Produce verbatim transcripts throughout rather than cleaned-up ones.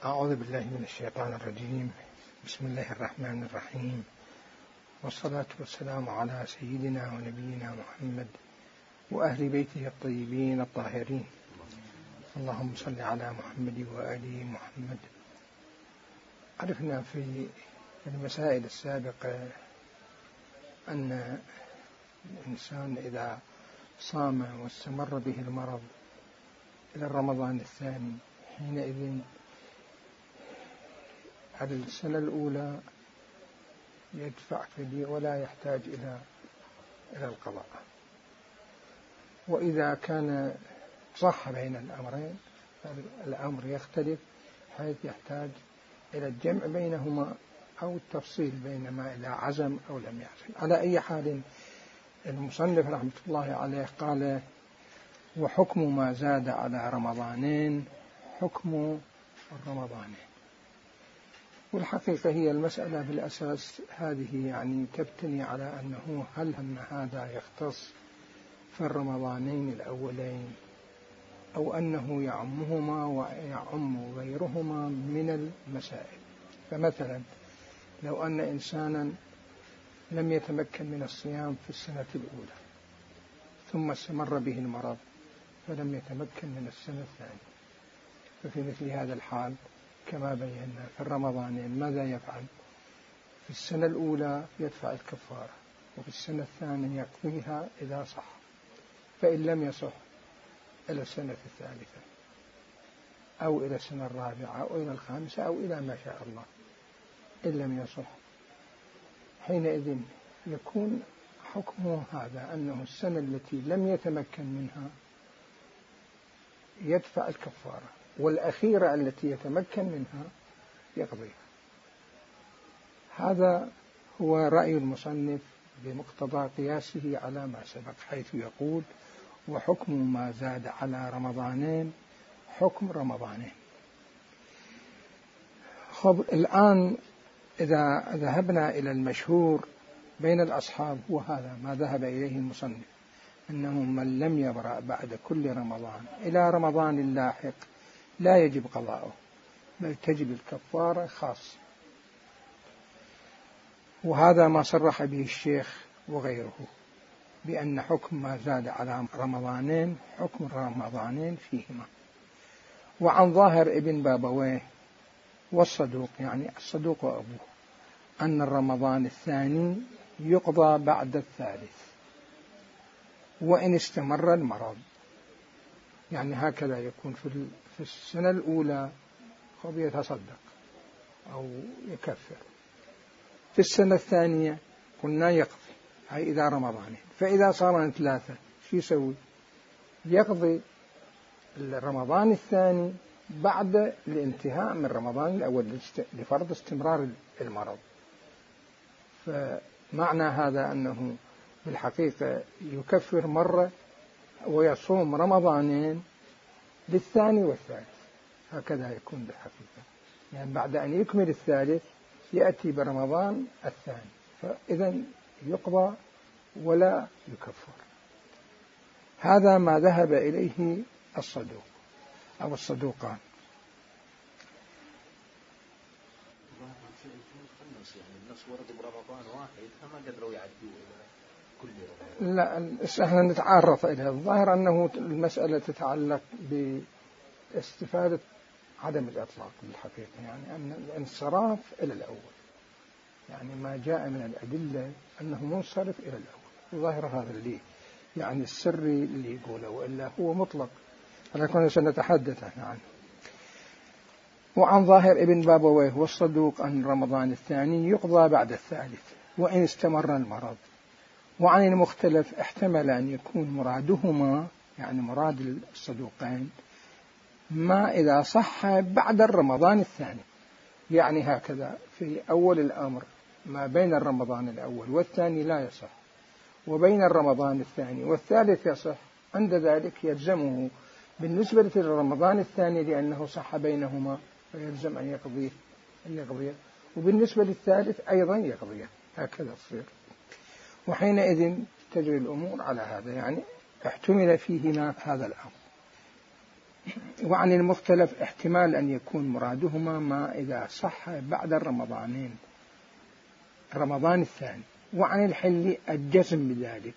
أعوذ بالله من الشيطان الرجيم. بسم الله الرحمن الرحيم، والصلاة والسلام على سيدنا ونبينا محمد وأهل بيته الطيبين الطاهرين. اللهم صل على محمد وآل محمد. عرفنا في المسائل السابقة أن الإنسان إذا صام واستمر به المرض إلى رمضان الثاني حينئذ على السنة الأولى يدفع فدية ولا يحتاج إلى إلى القضاء. وإذا كان صح بين الأمرين الأمر يختلف حيث يحتاج إلى الجمع بينهما أو التفصيل بين ما إذا عزم أو لم يعزم. على أي حال المصنف رحمة الله عليه قال: وحكم ما زاد على رمضانين حكم الرمضانين. والحقيقة هي المسألة بالأساس هذه يعني تبتني على أنه هل أن هذا يختص في الرمضانين الأولين أو أنه يعمهما ويعم غيرهما من المسائل. فمثلا لو أن إنسانا لم يتمكن من الصيام في السنة الأولى ثم استمر به المرض فلم يتمكن من السنة الثانية، ففي مثل هذا الحال كما بينا في الرمضانين ماذا يفعل؟ في السنة الأولى يدفع الكفارة، وفي السنة الثانية يقضيها إذا صح، فإن لم يصح إلى السنة الثالثة أو إلى السنة الرابعة أو إلى الخامسة أو إلى ما شاء الله. إن لم يصح حينئذ يكون حكمه هذا أنه السنة التي لم يتمكن منها يدفع الكفارة، والأخيرة التي يتمكن منها يقضيها. هذا هو رأي المصنف بمقتضى قياسه على ما سبق، حيث يقول: وحكم ما زاد على رمضانين حكم رمضانين. خب الآن إذا ذهبنا إلى المشهور بين الأصحاب وهذا ما ذهب إليه المصنف، أنه من لم يبرأ بعد كل رمضان إلى رمضان اللاحق لا يجب قضاؤه بل تجب الكفارة خاصة. وهذا ما صرح به الشيخ وغيره بأن حكم ما زاد على رمضانين حكم رمضانين فيهما. وعن ظاهر ابن بابويه والصدوق، يعني الصدوق وأبوه، أن الرمضان الثاني يقضى بعد الثالث وإن استمر المرض. يعني هكذا يكون في السنة الأولى قد يتصدق أو يكفر، في السنة الثانية قلنا يقضي، هاي إذا رمضانين. فإذا صار ثلاثة شو يسوي؟ يقضي رمضان الثاني بعد الانتهاء من رمضان الأول لفرض استمرار المرض. فمعنى هذا أنه بالحقيقة يكفر مرة ويصوم رمضانين للثاني والثالث، هكذا يكون بالحقيقة. يعني بعد أن يكمل الثالث يأتي برمضان الثاني، فإذا يقضى ولا يكفر. هذا ما ذهب إليه الصدوق أو الصدوقان. لا، احنا نتعرف إلى الظاهر أنه المسألة تتعلق باستفادة عدم الإطلاق بالحقيقة، يعني أن الانصراف إلى الأول، يعني ما جاء من الأدلة أنه منصرف إلى الأول. ظاهر هذا اللي يعني السري اللي يقوله، وإلا هو مطلق، فلكن سنتحدث عنه. وعن ظاهر ابن بابويه والصدوق أن رمضان الثاني يقضى بعد الثالث وإن استمر المرض. وعن المختلف احتمل أن يكون مرادهما، يعني مراد الصدوقين، ما إذا صح بعد الرمضان الثاني، يعني هكذا في أول الأمر ما بين الرمضان الأول والثاني لا يصح، وبين الرمضان الثاني والثالث يصح، عند ذلك يلزمه بالنسبة للرمضان الثاني لأنه صح بينهما فيلزم أن يقضيه أن يقضيه وبالنسبة للثالث أيضا يقضيه، هكذا تصير. وحينئذ تجري الأمور على هذا، يعني احتمل فيهما هذا الأمر. وعن المختلف احتمال أن يكون مرادهما ما إذا صح بعد الرمضانين رمضان الثاني، وعن الحل الجزم بذلك،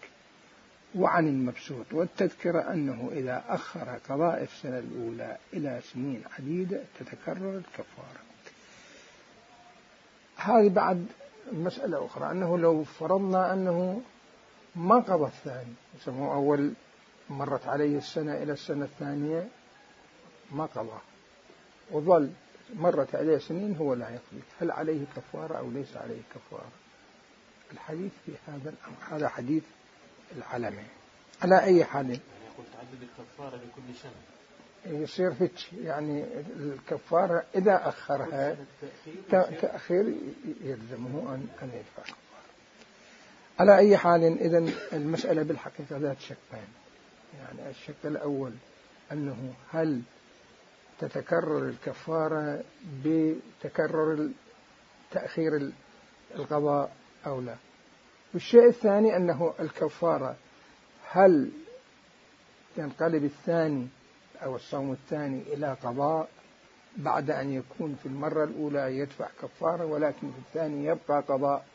وعن المبسوط والتذكرة أنه إذا أخر قضاء السنة الأولى إلى سنين عديدة تتكرر الكفارة. هذه بعد مسألة أخرى، أنه لو فرضنا أنه ما قضى الثاني، يسموه أول مرت عليه السنة إلى السنة الثانية ما قضى وظل مرت عليه سنين هو لا يقضي، هل عليه كفارة أو ليس عليه كفارة؟ الحديث في هذا الأمر، هذا حديث العلمي. على أي حال يقول تعدد الكفارة لكل سنة يصير هيك، يعني الكفارة إذا أخرها تأخير يلزمه أن يدفع كفارة. على أي حال إذن المسألة بالحقيقة ذات شقين، يعني الشق الأول أنه هل تتكرر الكفارة بتكرر تأخير القضاء أو لا، والشيء الثاني أنه الكفارة هل ينقلب الثاني أو الصوم الثاني إلى قضاء بعد أن يكون في المرة الأولى يدفع كفارة ولكن في الثاني يبقى قضاء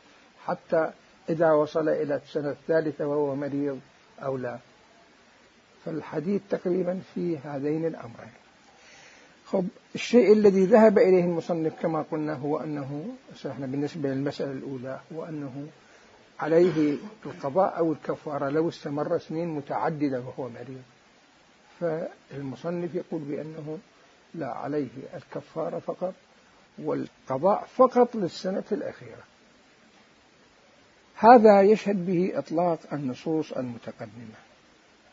حتى إذا وصل إلى السنة الثالثة وهو مريض أو لا. فالحديث تقريبا في هذين الأمرين. خب الشيء الذي ذهب إليه المصنف كما قلنا هو أنه احنا بالنسبة للمسألة الأولى هو أنه عليه القضاء أو الكفارة لو استمر سنين متعددة وهو مريض، فالمصنف يقول بأنه لا، عليه الكفارة فقط والقضاء فقط للسنة الأخيرة. هذا يشهد به إطلاق النصوص المتقدمة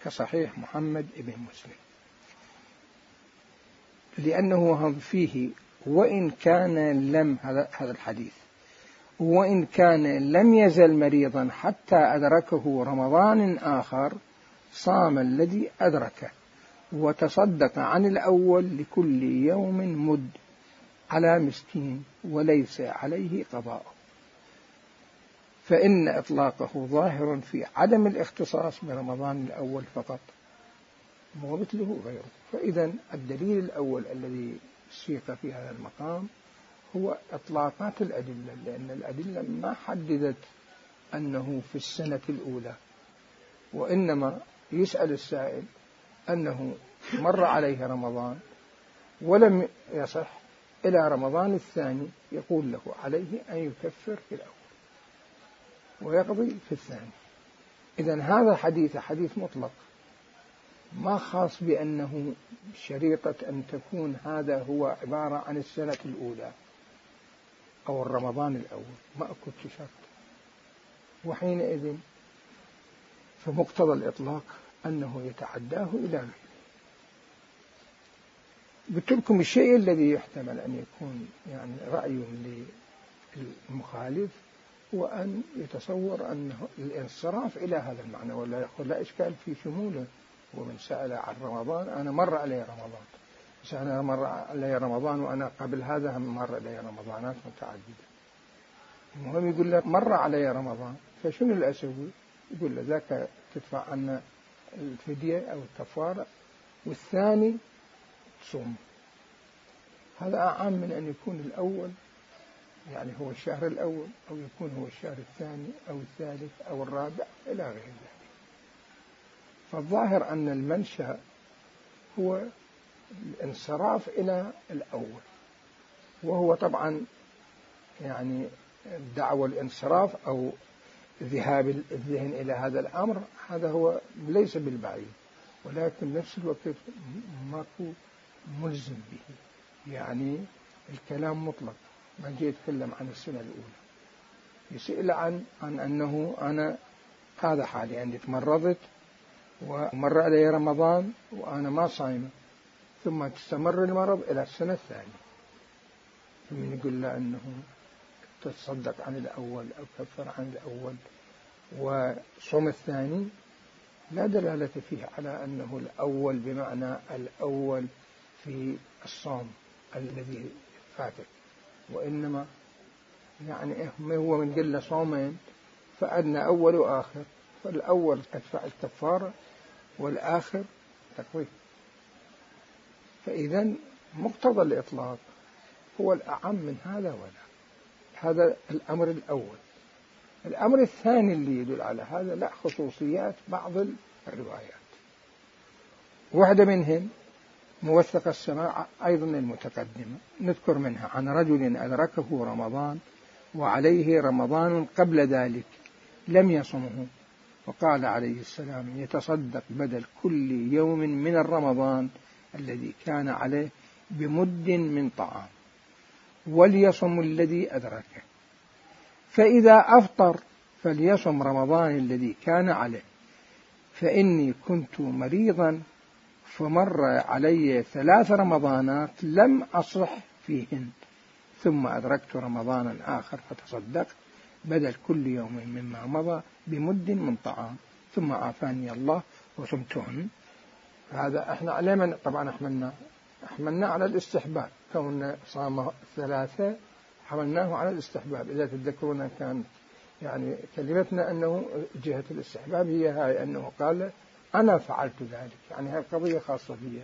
كصحيح محمد بن مسلم، لأنه فيه وإن كان لم هذا الحديث وإن كان لم يزل مريضا حتى أدركه رمضان آخر صام الذي أدركه وتصدق عن الأول لكل يوم مد على مسكين وليس عليه قضاء، فإن إطلاقه ظاهر في عدم الاختصاص برمضان الأول فقط ومثله غيره. فإذا الدليل الأول الذي سيق في هذا المقام هو إطلاقات الأدلة، لأن الأدلة ما حددت أنه في السنة الأولى، وإنما يسأل السائل أنه مر عليه رمضان ولم يصح إلى رمضان الثاني، يقول له عليه أن يكفر في الأول ويقضي في الثاني. إذن هذا حديث حديث مطلق ما خاص بأنه شريطة أن تكون هذا هو عبارة عن السنة الأولى أو الرمضان الأول، ما أكد شرط. وحينئذ فمقتضى الإطلاق أنه يتعداه إلى غيره. قلت لكم الشيء الذي يحتمل أن يكون يعني رأي للمخالف هو أن يتصور أنه الانصراف إلى هذا المعنى، ولا يقول لا إشكال في شموله. ومن سأل عن رمضان أنا مر علي رمضان، بس أنا مر علي رمضان وأنا قبل هذا مر علي رمضانات متعددة. المهم يقول له مر علي رمضان، فشنو اللي أسوي؟ يقول له ذاك تدفع عنا الفدية أو الكفارة، والثاني تصوم. هذا أعم من أن يكون الأول يعني هو الشهر الأول أو يكون هو الشهر الثاني أو الثالث أو الرابع إلى غير ذلك. فالظاهر أن المنشأ هو الانصراف إلى الأول، وهو طبعا يعني دعوى الانصراف أو ذهاب الذهن إلى هذا الأمر، هذا هو ليس بالبعيد، ولكن نفس الوقت ماكو ملزم به. يعني الكلام مطلق، ما جاي يتكلم عن السنة الأولى، يسأل عن عن أنه أنا هذا حالي عندي تمرضت ومر علي رمضان وأنا ما صايمة، ثم تستمر المرض إلى السنة الثانية، ثم يقول له أنه تصدق عن الأول أو كفر عن الأول وصوم الثاني، لا دلالة فيه على أنه الأول بمعنى الأول في الصوم الذي فاتك، وإنما يعني هو من قلة صومين فأدنى أول وآخر، فالأول أدفع الكفارة والآخر تقوي. فإذا مقتضى الإطلاق هو الأعم من هذا ولا. هذا الأمر الأول. الأمر الثاني اللي يدل على هذا لا خصوصيات بعض الروايات، واحدة منهم موثق السماع أيضا المتقدمة، نذكر منها عن رجل أدركه رمضان وعليه رمضان قبل ذلك لم يصمه، وقال عليه السلام يتصدق بدل كل يوم من الرمضان الذي كان عليه بمد من طعام وليصم الذي أدركه، فإذا أفطر فليصم رمضان الذي كان عليه، فإني كنت مريضا فمر علي ثلاث رمضانات لم أصح فيهن، ثم أدركت رمضانا آخر فتصدقت بدل كل يوم مما مضى بمد من طعام ثم عافاني الله وصمتهن. هذا احنا علينا طبعا احملنا احملنا على الاستحباب، كون صام ثلاثة حملناه على الاستحباب. إذا تذكرون كان يعني كلمتنا أنه جهة الاستحباب هي هاي، أنه قال أنا فعلت ذلك، يعني هذه قضية خاصة بي،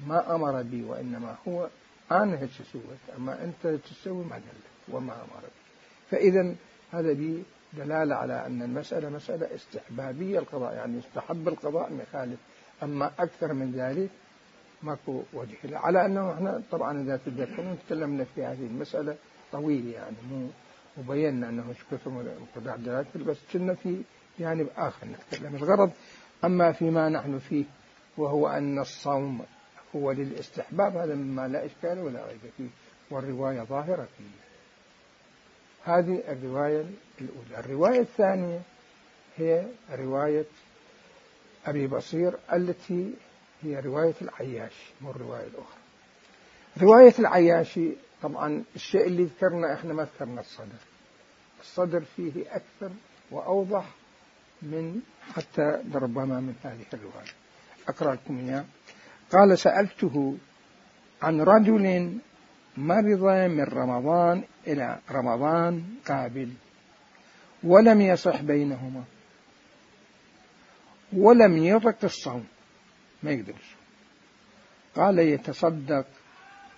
ما أمر بي وإنما هو أنا هيك سويت، أما أنت تسوي ما دلت وما أمر بي. فإذا هذا بي دلالة على أن المسألة مسألة استحبابية القضاء، يعني يستحب القضاء مخالف، أما أكثر من ذلك ماكو وجه له. على أنه احنا طبعا إذا تذكرون تكلمنا في هذه المسألة طويل، يعني مو وبينا أنه كثر مقدار دلالته، بس كنا في جانب آخر نتكلم. الغرض أما فيما نحن فيه وهو أن الصوم هو للاستحباب، هذا مما لا إشكال ولا ريب فيه، والرواية ظاهرة فيه. هذه الرواية الأولى. الرواية الثانية هي رواية أبي بصير التي هي رواية العياش، مو الرواية الأخرى. رواية العياشي طبعا الشيء اللي ذكرنا احنا ما ذكرنا الصدر، الصدر فيه أكثر وأوضح من حتى ربما من هذه الرواية. أقرأ لكم إياه. قال سألته عن رجل مرض من رمضان إلى رمضان قابل ولم يصح بينهما ولم يطق الصوم، ما يقدر الصوم. قال يتصدق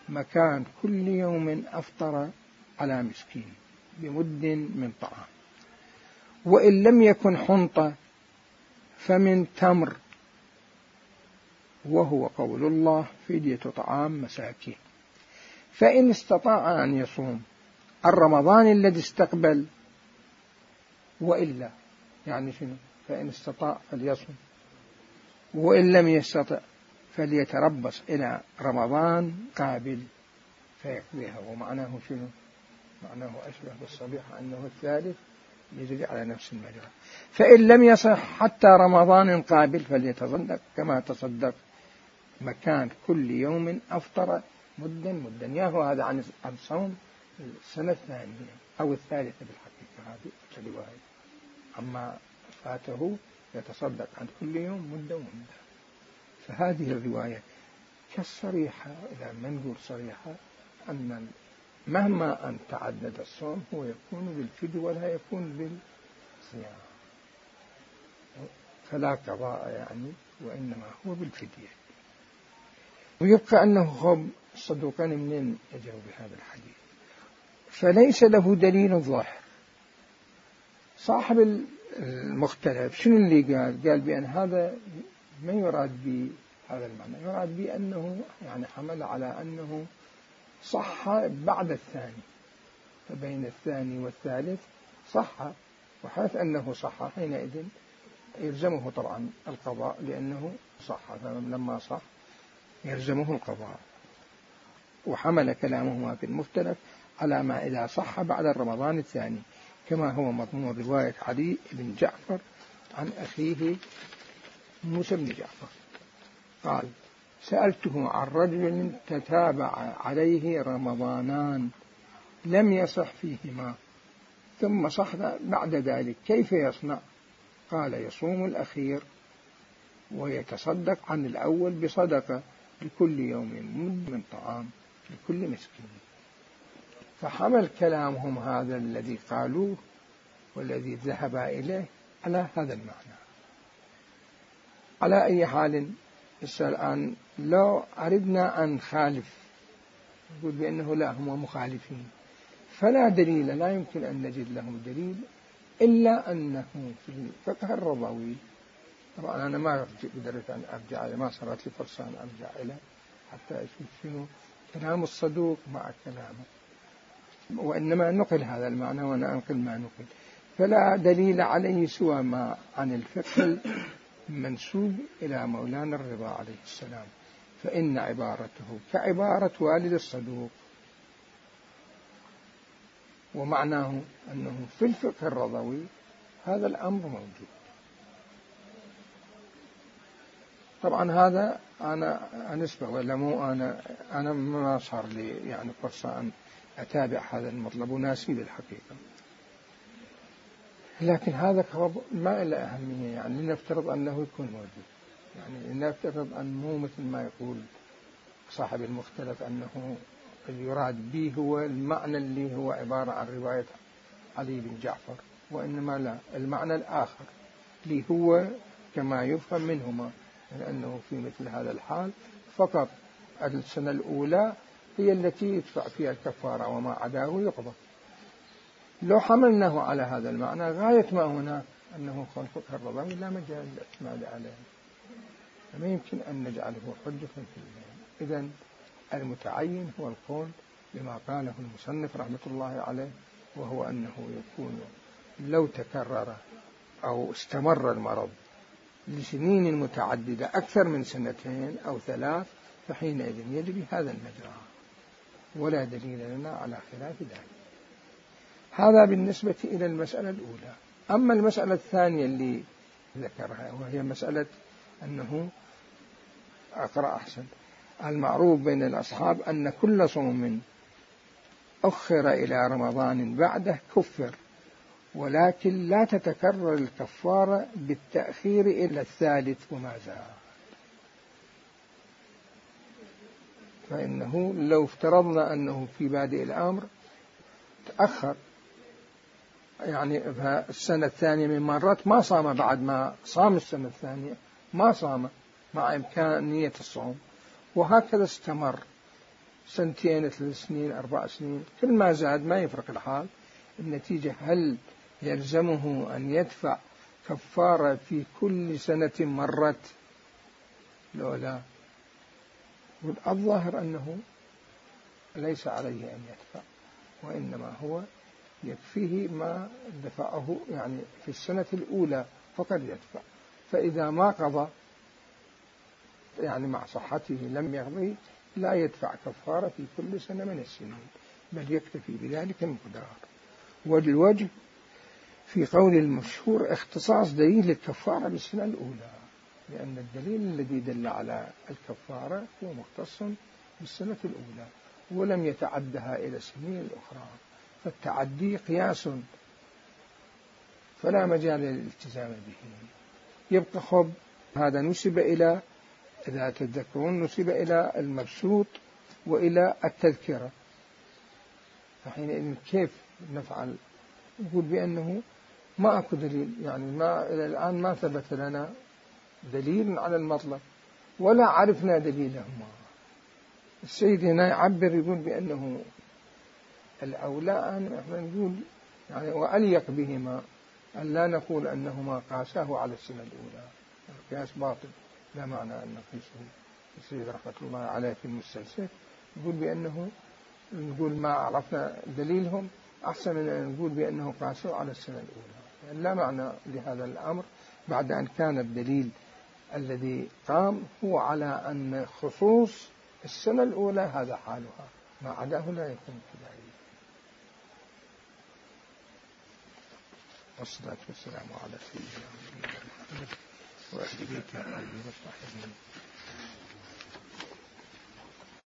مكان كل يوم أفطر على مسكين بمد من طعام، وإن لم يكن حنطة فمن تمر، وهو قول الله فدية طعام مساكين. فإن استطاع أن يصوم الرمضان الذي استقبل وإلا، يعني شنو؟ فإن استطاع فليصوم، وإن لم يستطع فليتربص إلى رمضان قابل فيقضيها. ومعناه شنو؟ معناه أشبه بالصبيحة أنه الثالث يجري على نفس المجرى. فإن لم يصح حتى رمضان قابل فليتصدق كما تصدق مكان كل يوم أفطر مدا مدا. ياهو هذا عن الصوم السنة الثانية أو الثالثة بالحقيقة، هذه الرواية. أما فاته يتصدق عن كل يوم مدة ومدة. فهذه الرواية كالصريحة، إذا ما نقول صريحة، أن مهما أن تعدد الصوم هو يكون بالفدية ولا يكون بالصيام، فلا قضاء يعني، وإنما هو بالفدية. ويبقى أنه هم الصدوقان منين يجوا بهذا الحديث، فليس له دليل ظاهر. صاحب المختلف شنو اللي قال؟ قال بأن هذا ما يراد بهذا المعنى، يراد بأنه يعني حمل على أنه صح بعد الثاني، فبين الثاني والثالث صح، وحيث أنه صح حينئذ يلزمه طبعا القضاء لأنه صح، فلما صح يلزمه القضاء. وحمل كلامهما في المختلف على ما إذا صح بعد الرمضان الثاني، كما هو مضمون رواية علي بن جعفر عن أخيه موسى بن جعفر قال سألته عن رجل تتابع عليه رمضانان لم يصح فيهما ثم صح بعد ذلك كيف يصنع؟ قال يصوم الأخير ويتصدق عن الأول بصدقة لكل يوم مد من طعام لكل مسكين. فحمل كلامهم هذا الذي قالوه والذي ذهب إليه على هذا المعنى. على أي حال هسه الآن لو أردنا أن نخالف نقول بأنه لا هم مخالفين، فلا دليل، لا يمكن أن نجد لهم دليل إلا أنه في الفقه الرضوي. طبعا أنا ما قدرت أن أرجع إلى، ما صارت لي فرصة أن أرجع إلى حتى أشوف شنو كلام الصدوق مع كلامه، وإنما نقل هذا المعنى وأنا أنقل ما نقل. فلا دليل عليه سوى ما عن الفقه المنسوب إلى مولانا الرضا عليه السلام، فإن عبارته كعبارة والد الصدوق، ومعناه أنه في الفقه الرضوي هذا الأمر موجود. طبعا هذا أنا أنسبة ولا مو أنا أنا ما صار لي يعني فرصة أن أتابع هذا المطلب وناسي الحقيقة، لكن هذا ما له أهمية. يعني لنفترض أنه يكون موجود، يعني لنفترض أن مو مثل ما يقول صاحب المختلف أنه يراد به هو المعنى اللي هو عبارة عن رواية علي بن جعفر، وإنما لا، المعنى الآخر اللي هو كما يفهم منهما، لأنه في مثل هذا الحال فقط السنة الأولى هي التي يدفع فيها الكفارة وما عداه يقضى. لو حملناه على هذا المعنى غاية ما هنا أنه خلق الرضوي لا مجال للاعتماد عليه، فما يمكن أن نجعله حجة في الله. إذن المتعين هو القول بما قاله المصنف رحمة الله عليه، وهو أنه يكون لو تكرر أو استمر المرض لسنين متعددة أكثر من سنتين أو ثلاث فحينئذ يجري هذا المجرى، ولا دليل لنا على خلاف ذلك. هذا بالنسبة إلى المسألة الأولى. أما المسألة الثانية اللي ذكرها وهي مسألة أنه أقرأ أحسن، المعروف بين الأصحاب أن كل صوم أخر إلى رمضان بعده كفر، ولكن لا تتكرر الكفارة بالتأخير إلى الثالث وما زال. فإنه لو افترضنا أنه في بادئ الأمر تأخر يعني السنة الثانية من مرات ما صام، بعد ما صام السنة الثانية ما صام مع إمكانية الصوم، وهكذا استمر سنتين ثلاث سنين أربع سنين، كل ما زاد ما يفرق الحال. النتيجة هل يلزمه أن يدفع كفارة في كل سنة مرت؟ لا لا، والظاهر أنه ليس عليه أن يدفع، وإنما هو يكفيه ما دفعه يعني في السنة الأولى فقد يدفع. فإذا ما قضى يعني مع صحته لم يقضي لا يدفع كفارة في كل سنة من السنين، بل يكتفي بذلك المقدار. والوجه في قول المشهور اختصاص دليل الكفارة بالسنة الأولى، لأن الدليل الذي دل على الكفارة هو مختص بالسنة الأولى ولم يتعدها إلى السنين الأخرى، فالتعدي قياس فلا مجال للالتزام به. يبقى خب هذا نسب إلى، إذا تذكرون نسب إلى المبسوط وإلى التذكرة، فحينئذ كيف نفعل؟ نقول بأنه ما أكو دليل، يعني ما إلى الآن ما ثبت لنا دليل على المطلب ولا عرفنا دليلهما. السيد هنا يعبر يقول بأنه الأولى أن احنا نقول يعني وأليق بهما أن لا نقول أنهما قاساه على السنة الأولى، القياس باطل لا معنى أن نقيسه. السيد رحمة الله عليه في المستنسخ يقول بأنه نقول ما عرفنا دليلهم أحسن من أن نقول بأنه قاسوا على السنة الأولى، يعني لا معنى لهذا الأمر بعد أن كان الدليل الذي قام هو على أن خصوص السنة الأولى هذا حالها، ما عداه لا يكون كذلك. والصلاة والسلام على سيدنا محمد وأهل بيته وصحبه.